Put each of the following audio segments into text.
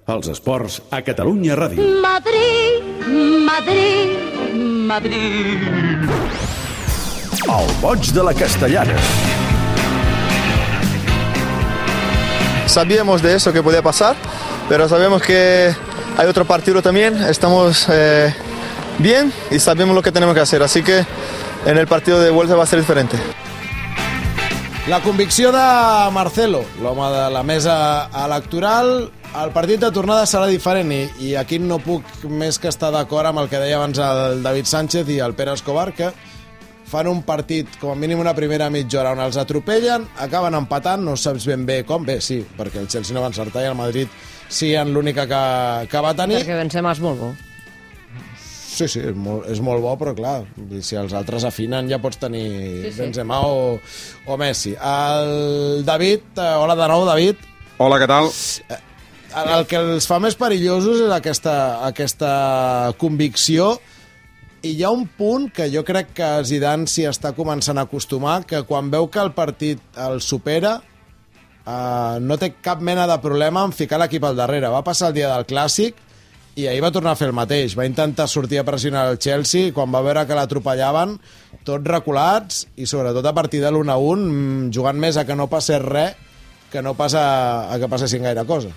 Els esports a Catalunya Ràdio. Madrid, Madrid, Madrid. El boig de la Castellana. Sabíamos de eso que podía pasar, pero sabemos que hay otro partido también. Estamos bien y sabemos lo que tenemos que hacer, así que en el partido de vuelta va a ser diferente. La convicció de Marcelo, l'home de la mesa electoral. El partit de tornada serà diferent i aquí no puc més que estar d'acord amb el que deia abans el David Sánchez i el Pere Escobar, que fan un partit, com a mínim una primera mitja hora, on els atropellen, acaben empatant, no saps ben bé com, bé, sí, perquè el Chelsea no va encertar i el Madrid sí en l'única que va tenir. Perquè Benzema és molt bo. Sí, és molt bo, però clar, si els altres afinen ja pots tenir Benzema o Messi. El David, hola de nou, David. Hola, què tal? El que els fa més perillosos és aquesta convicció, i hi ha un punt que jo crec que Zidane s'hi està començant a acostumar, que quan veu que el partit el supera no té cap mena de problema en ficar l'equip al darrere. Va passar el dia del Clàssic i ahir va tornar a fer el mateix. Va intentar sortir a pressionar el Chelsea i quan va veure que l'atropellaven, tots reculats i sobretot a partir de l'1-1 jugant més a que no passés res que no passa a que passessin gaire coses.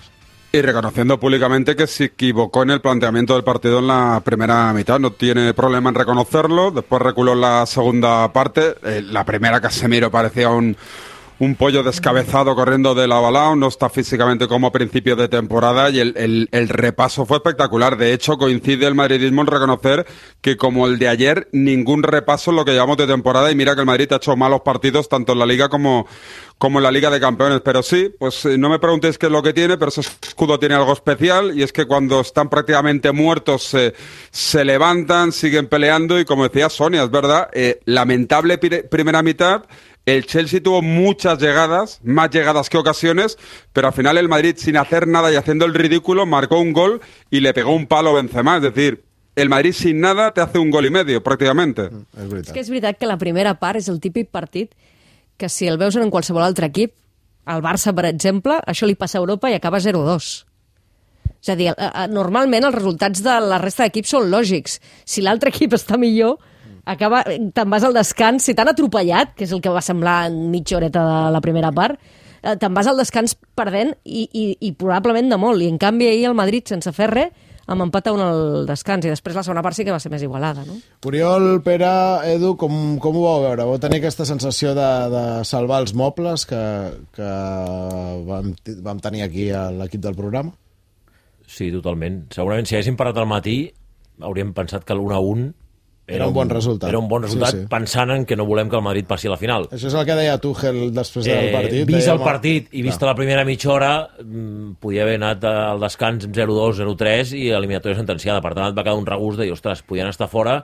Y reconociendo públicamente que se equivocó en el planteamiento del partido en la primera mitad. No tiene problema en reconocerlo. Después reculó en la segunda parte. La primera, Casemiro parecía un pollo descabezado corriendo de lado a lado. No está físicamente como a principio de temporada y el repaso fue espectacular. De hecho, coincide el madridismo en reconocer que, como el de ayer, ningún repaso en lo que llevamos de temporada. Y mira que el Madrid ha hecho malos partidos tanto en la Liga como en la Liga de Campeones, pero sí, pues no me preguntéis qué es lo que tiene, pero ese escudo tiene algo especial, y es que cuando están prácticamente muertos se levantan, siguen peleando, y como decía Sonia, es verdad, lamentable primera mitad. El Chelsea tuvo muchas llegadas, más llegadas que ocasiones, pero al final el Madrid, sin hacer nada y haciendo el ridículo, marcó un gol y le pegó un palo a Benzema, es decir, el Madrid sin nada te hace un gol y medio, prácticamente. És que és veritat que la primera part és el típic partit que si el veus en qualsevol altre equip, al Barça, per exemple, això li passa a Europa i acaba 0-2. És a dir, normalment els resultats de la resta d'equips són lògics. Si l'altre equip està millor, te'n vas al descans, si t'han atropellat, que és el que va semblar en mitja horeta de la primera part, te'n vas al descans perdent i probablement de molt. I en canvi ahir el Madrid, sense fer res, amb empat a un al descans, i després la segona part sí que va ser més igualada, no? Oriol, Pere, Edu, com ho vau veure? Vau tenir aquesta sensació de salvar els mobles que vam tenir aquí a l'equip del programa? Sí, totalment. Segurament si haguéssim parat al matí hauríem pensat que l'1-1 era un bon resultat. Era un bon resultat, sí. Pensant en que no volem que el Madrid passi a la final. Això és el que deia Tuchel després del partit. Vist el partit i vista la primera mitja hora, podia haver anat al descans 0-2, 0-3 i eliminatòria sentenciada. Per tant, et va quedar un regust de dir, ostres, podien estar fora,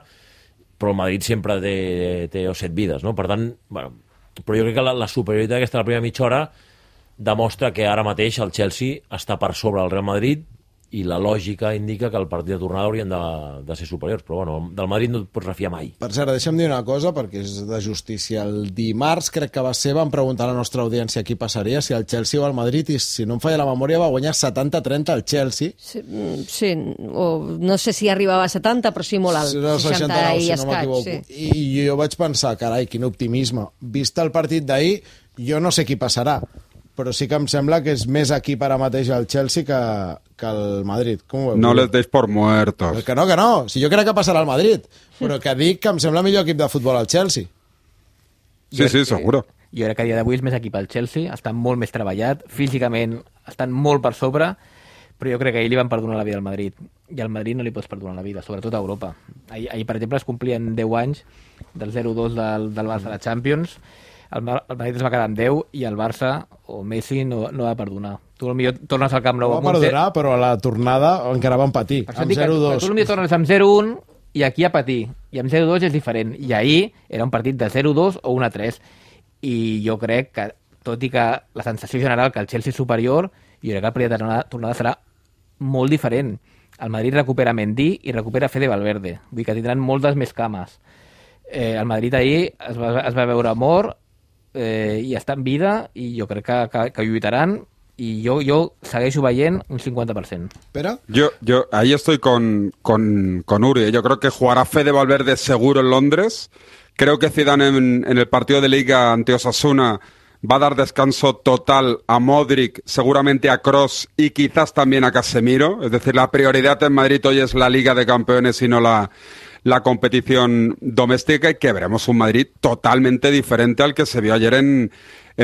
però el Madrid sempre té 7 vides, no? Per tant, bueno, però jo crec que la superioritat aquesta de la primera mitja hora demostra que ara mateix el Chelsea està per sobre del Real Madrid i la lògica indica que el partit de tornada haurien de ser superiors, però bueno, del Madrid no et pots refiar mai. Per cert, deixa'm dir una cosa, perquè és de justícia. El dimarts, crec que va ser, vam preguntar a la nostra audiència qui passaria, si el Chelsea o el Madrid, i si no em falla la memòria va guanyar 70-30 el Chelsea. Sí, o no sé si arribava a 70, però sí molt alt. 69, si no m'equivoco. Sí. I jo vaig pensar, carai, quin optimisme. Vist el partit d'ahir, jo no sé qui passarà, però sí que em sembla que és més equip ara mateix el Chelsea que el Madrid. Com ho veus? No les deis por muertos. Que no. Si jo crec que passarà al Madrid, però que dic que em sembla millor equip de futbol al Chelsea. Sí, seguro. Jo crec que a dia d'avui és més equip al Chelsea, està molt més treballat, físicament estan molt per sobre, però jo crec que ahir li van perdonar la vida al Madrid, i al Madrid no li pots perdonar la vida, sobretot a Europa. Ahir per exemple, es complien 10 anys del 0-2 del Barça a la Champions. El Madrid es va quedar amb 10 i el Barça o Messi no va perdonar. Tu potser tornes al Camp Nou. No va perdonar, però a la tornada encara van patir, amb 0-2. Tu potser tornes amb 0-1 i aquí a patir. I amb 0-2 és diferent. I ahir era un partit de 0-2 o 1-3. I jo crec que, tot i que la sensació general que el Chelsea és superior, jo crec que el partit de tornada serà molt diferent. El Madrid recupera Mendy i recupera Fede Valverde. Vull dir que tindran moltes més cames. El Madrid ahir es va veure mort i està en vida, i jo crec que lluitaran i jo segueixo veient un 50%. Pere? Yo ahí estoy con Uri. Yo creo que jugará Fede Valverde seguro en Londres. Creo que Zidane en el partido de Liga ante Osasuna va a dar descanso total a Modric, seguramente a Kroos y quizás también a Casemiro. Es decir, la prioridad en Madrid hoy es la Liga de Campeones y no la competición doméstica, y que veremos un Madrid totalmente diferente al que se vio ayer en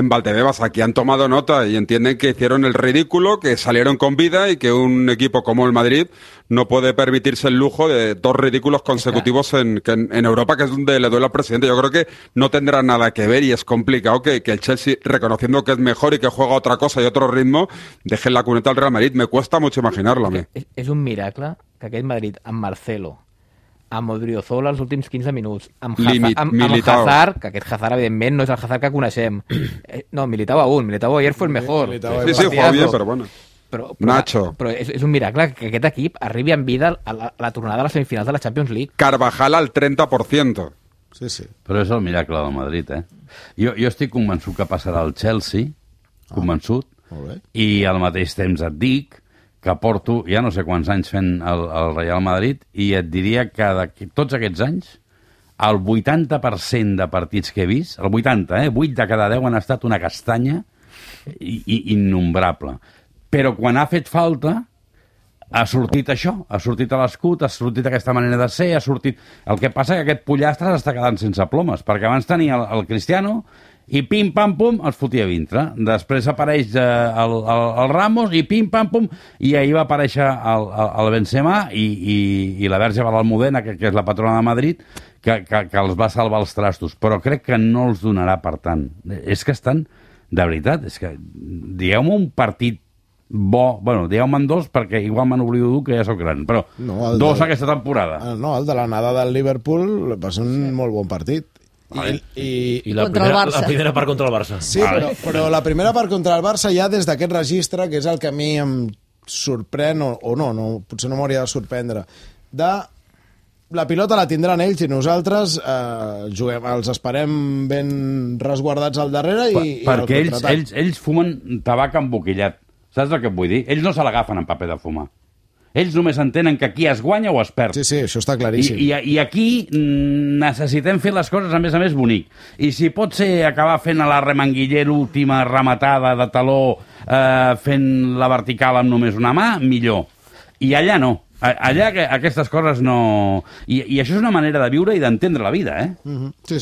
Valdebebas. Aquí han tomado nota y entienden que hicieron el ridículo, que salieron con vida y que un equipo como el Madrid no puede permitirse el lujo de 2 ridículos consecutivos en Europa, que es donde le duele al presidente. Yo creo que no tendrá nada que ver y es complicado que el Chelsea, reconociendo que es mejor y que juega otra cosa y otro ritmo, deje en la cuneta al Real Madrid. Me cuesta mucho imaginarlo a mí. És un miracle que aquest Madrid amb Marcelo, amb Odriozola els últims 15 minuts, amb Hazard, que aquest Hazard evidentment no és el Hazard que coneixem. No, Militao ayer fue el mejor. Sí, jugó bien, pero bueno. Nacho. Però és un miracle que aquest equip arribi en vida a la tornada a les semifinals de la Champions League. Carvajal al 30%. Sí. Però és el miracle del Madrid, Jo estic convençut que passarà al Chelsea, convençut, i al mateix temps et dic que porto ja no sé quants anys fent el Real Madrid i et diria que tots aquests anys el 80% de partits que he vist, el 80, 8 de cada 10 han estat una castanya innombrable. Però quan ha fet falta ha sortit això, ha sortit a l'escut, ha sortit aquesta manera de ser, ha sortit... El que passa que aquest pollastre s'està quedant sense plomes, perquè abans tenia el Cristiano i pim-pam-pum els fotia a dintre. Després apareix el Ramos i pim-pam-pum, i ahir va aparèixer el Benzema i la Verge Almudena, que és la patrona de Madrid, que els va salvar els trastos. Però crec que no els donarà per tant. És que estan... De veritat, és que... Digueu-me un partit bo... Bueno, digueu-me'n 2, perquè igual me n'oblido d'un, que ja sóc gran, però 2 aquesta temporada. No, el de l'anada del Liverpool va ser un molt bon partit. I la primera part contra el Barça. Sí, però la primera part contra el Barça ja des d'aquest registre, que és el que a mi em sorprèn, o no, potser no m'hauria de sorprendre, la pilota la tindran ells i nosaltres els esperem ben resguardats al darrere perquè ells fumen tabac emboquillat. Saps el que et vull dir? Ells no se l'agafen en paper de fumar. Ells només entenen que aquí es guanya o es perd. Sí, això està claríssim. I aquí necessitem fer les coses, a més, bonic. I si pot ser acabar fent a la remanguiller l'última rematada de taló fent la vertical amb només una mà, millor. I allà no. Allà aquestes coses no... I això és una manera de viure i d'entendre la vida, Sí.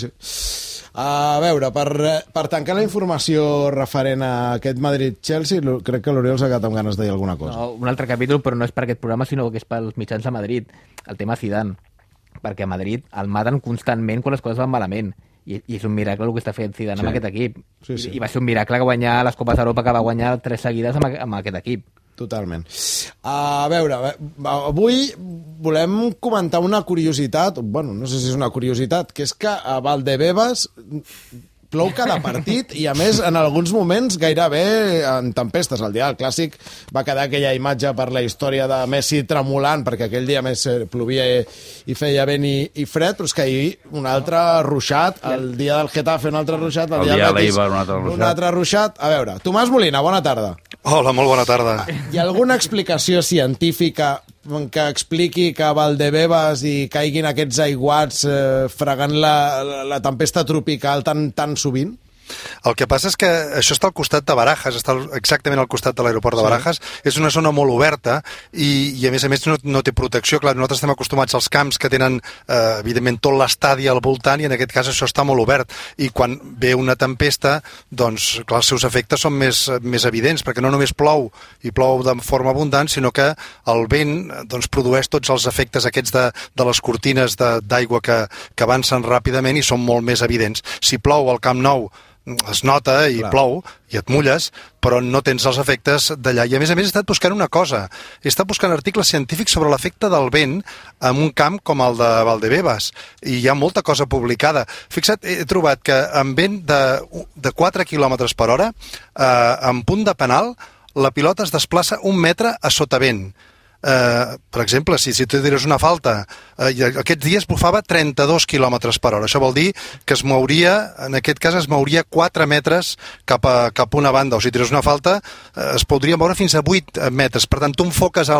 A veure, per tancar la informació referent a aquest Madrid-Chelsea, crec que l'Oriol s'ha quedat amb ganes de dir alguna cosa. No, un altre capítol, però no és per aquest programa, sinó que és pels mitjans de Madrid. El tema Zidane. Perquè a Madrid el maten constantment quan les coses van malament. I és un miracle el que està fent Zidane amb aquest equip. Sí. I va ser un miracle guanyar les Copes d'Europa, que va guanyar 3 seguides amb aquest equip. Totalment. A veure, avui volem comentar una curiositat, bueno, no sé si és una curiositat, que és que a Valdebebas plou cada partit i, a més, en alguns moments gairebé en tempestes. El dia del Clàssic va quedar aquella imatge per la història de Messi tremolant, perquè aquell dia més plovia i feia vent i fred, però és que ahir un altre ruixat, el dia del Getafe un altre ruixat, el dia del Betis un altre ruixat. A veure, Tomàs Molina, bona tarda. Hola, molt bona tarda. Hi ha alguna explicació científica que expliqui que a Valdebebas hi caiguin aquests aiguats fregant la tempesta tropical tan sovint? El que passa és que això està al costat de Barajas, està exactament al costat de l'aeroport de Barajas. És una zona molt oberta i a més no té protecció. Clar, nosaltres estem acostumats als camps que tenen, evidentment, tot l'estadi al voltant, i en aquest cas això està molt obert. I quan ve una tempesta, doncs, clar, els seus efectes són més evidents, perquè no només plou, i plou de forma abundant, sinó que el vent doncs, produeix tots els efectes aquests de les cortines d'aigua que avancen ràpidament i són molt més evidents. Si plou al Camp Nou, es nota i plou i et mulles, però no tens els efectes d'allà. I a més he estat buscant una cosa. He estat buscant articles científics sobre l'efecte del vent en un camp com el de Valdebebas, i hi ha molta cosa publicada. Fixa't, he trobat que amb vent de 4 km per hora, en punt de penal, la pilota es desplaça 1 metre a sotavent. per exemple, si tu tires una falta, aquests dies bufava 32 km per hora. Això vol dir que es mouria, en aquest cas es mouria 4 metres cap a una banda, o si tires una falta es podria moure fins a 8 metres. Per tant, tu enfoques a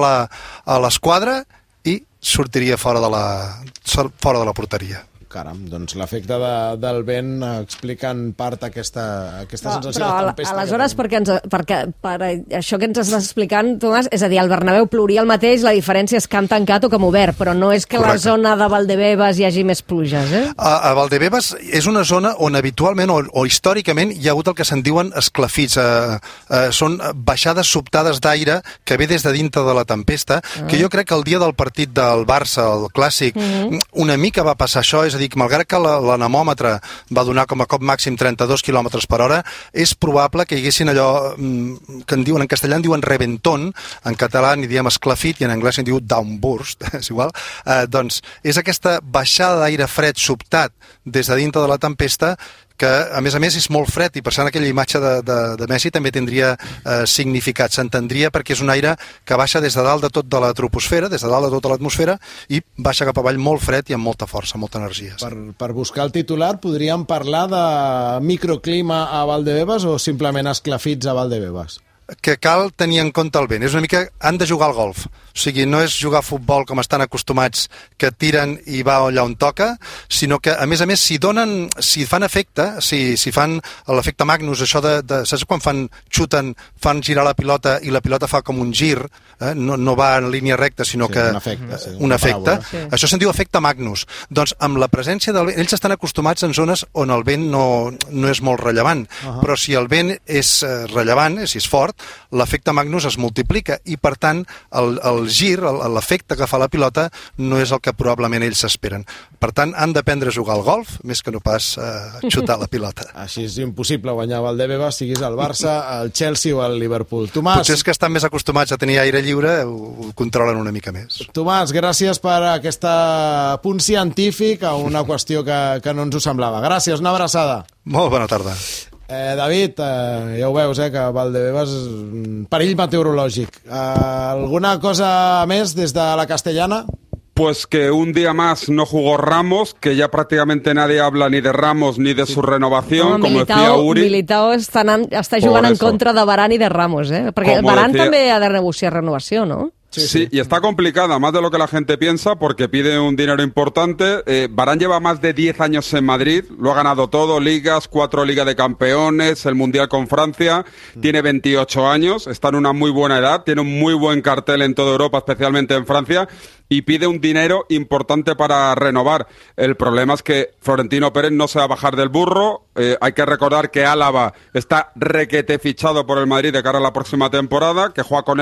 l'esquadra i sortiria fora de la porteria. Caram, doncs l'efecte del vent explica en part aquesta sensació de tempesta. Aleshores, perquè per això que ens estàs explicant, Tomàs, és a dir, el Bernabéu plouria el mateix, la diferència és camp tancat o camp obert, però no és que Correcte. la zona de Valdebebas hi hagi més pluges, eh? A Valdebebas és una zona on habitualment o històricament hi ha hagut el que se'n diuen esclafits. Són baixades sobtades d'aire que ve des de dintre de la tempesta, que jo crec que el dia del partit del Barça, el clàssic, una mica va passar això, és a dir, que malgrat que l'anemòmetre va donar com a cop màxim 32 km per hora, és probable que hi haguessin allò que en castellà en diuen reventón, en català n'hi diem esclafit i en anglès n'hi diu downburst, és igual. Doncs és aquesta baixada d'aire fred sobtat des de dintre de la tempesta que, a més, és molt fred, i per tant aquella imatge de Messi també tindria significat, s'entendria, perquè és un aire que baixa des de dalt de tot de la troposfera, des de dalt de tota l'atmosfera, i baixa cap avall molt fred i amb molta força, molta energia. Per buscar el titular, podríem parlar de microclima a Valdebebas o simplement esclafits a Valdebebas? Que cal tenir en compte el vent. És una mica... Han de jugar al golf. O sigui, no és jugar a futbol com estan acostumats, que tiren i va allà on toca, sinó que, a més, si fan efecte, si fan l'efecte Magnus, això saps quan xuten, fan girar la pilota i la pilota fa com un gir, no va en línia recta, sinó que... Un efecte. Sí. Això se'n diu efecte Magnus. Doncs amb la presència del vent... Ells estan acostumats en zones on el vent no és molt rellevant, però si el vent és rellevant, si és fort, l'efecte Magnus es multiplica i, per tant, el gir, l'efecte que fa la pilota, no és el que probablement ells s'esperen. Per tant, han d'aprendre a jugar al golf, més que no pas xutar la pilota. Així és impossible guanyar Valdebebas, siguis el Barça, el Chelsea o el Liverpool. Tomàs... Potser és que estan més acostumats a tenir aire lliure, ho controlen una mica més. Tomàs, gràcies per aquest punt científic a una qüestió que no ens ho semblava. Gràcies, una abraçada. Molt bona tarda. David, ja ho veus, que Valdebebas és un perill meteorològic. Alguna cosa més des de la Castellana? Pues que un día más no jugó Ramos, que ya prácticamente nadie habla ni de Ramos ni de su renovación, como decía Uri. Militao està jugant en contra de Varane i de Ramos, perquè el Varane també ha de negociar renovació, no? Sí, y está complicada, más de lo que la gente piensa, porque pide un dinero importante. Varane lleva más de 10 años en Madrid, lo ha ganado todo, ligas, 4 Ligas de Campeones, el Mundial con Francia, tiene 28 años, está en una muy buena edad, tiene un muy buen cartel en toda Europa, especialmente en Francia, y pide un dinero importante para renovar. El problema es que Florentino Pérez no se va a bajar del burro. Hay que recordar que Álava está requete fichado por el Madrid de cara a la próxima temporada, que juega con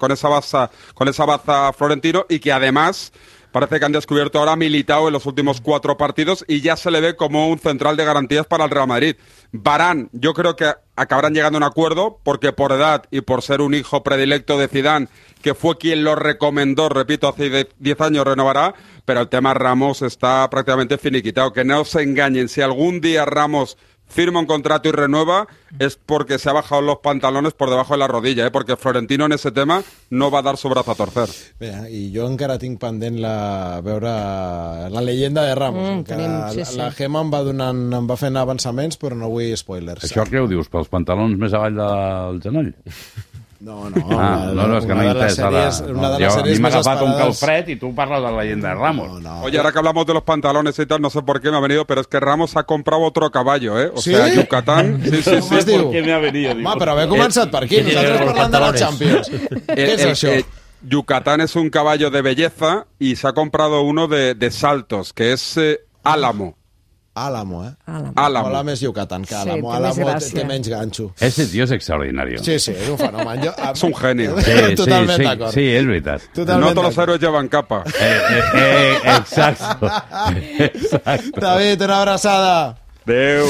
esa baza Florentino, y que además parece que han descubierto ahora a Militao en los últimos 4 partidos y ya se le ve como un central de garantías para el Real Madrid. Varane, yo creo que acabarán llegando a un acuerdo, porque por edad y por ser un hijo predilecto de Zidane, que fue quien lo recomendó, repito, hace 10 años, renovará, pero el tema Ramos está prácticamente finiquitado. Que no se engañen, si algún día Ramos firma un contrato y renueva, es porque se ha bajado los pantalones por debajo de la rodilla, porque Florentino en ese tema no va a dar su brazo a torcer. Bé, i jo encara tinc pendent veure la llegenda de Ramos, la Gemma em va fent avançaments, però no vull spoilers. Això què ho dius, pels pantalons més avall del genoll? No, és que no he entès ara. A mi m'ha agafat un calfred y tú parlas de la leyenda de Ramos. Oye, ahora que hablamos de los pantalones y tal, no sé por qué me ha venido, pero es que Ramos ha comprado otro caballo, O sea, Yucatán... Sí. ¿Por qué me ha venido? Però haver començat per aquí, nosaltres parlant de la Champions. ¿Qué es això? Yucatán es un caballo de belleza y se ha comprado uno de saltos, que es Álamo. Álamo, Álamo. Mola més Yucatán que Álamo. Sí, Álamo té menys ganxo. Ese tío es extraordinario. Sí, és un fenomen. Es un genio. Totalment d'acord. Sí, és veritat. No todos los héroes llevan capa. Exacto. David, una abraçada. Adéu.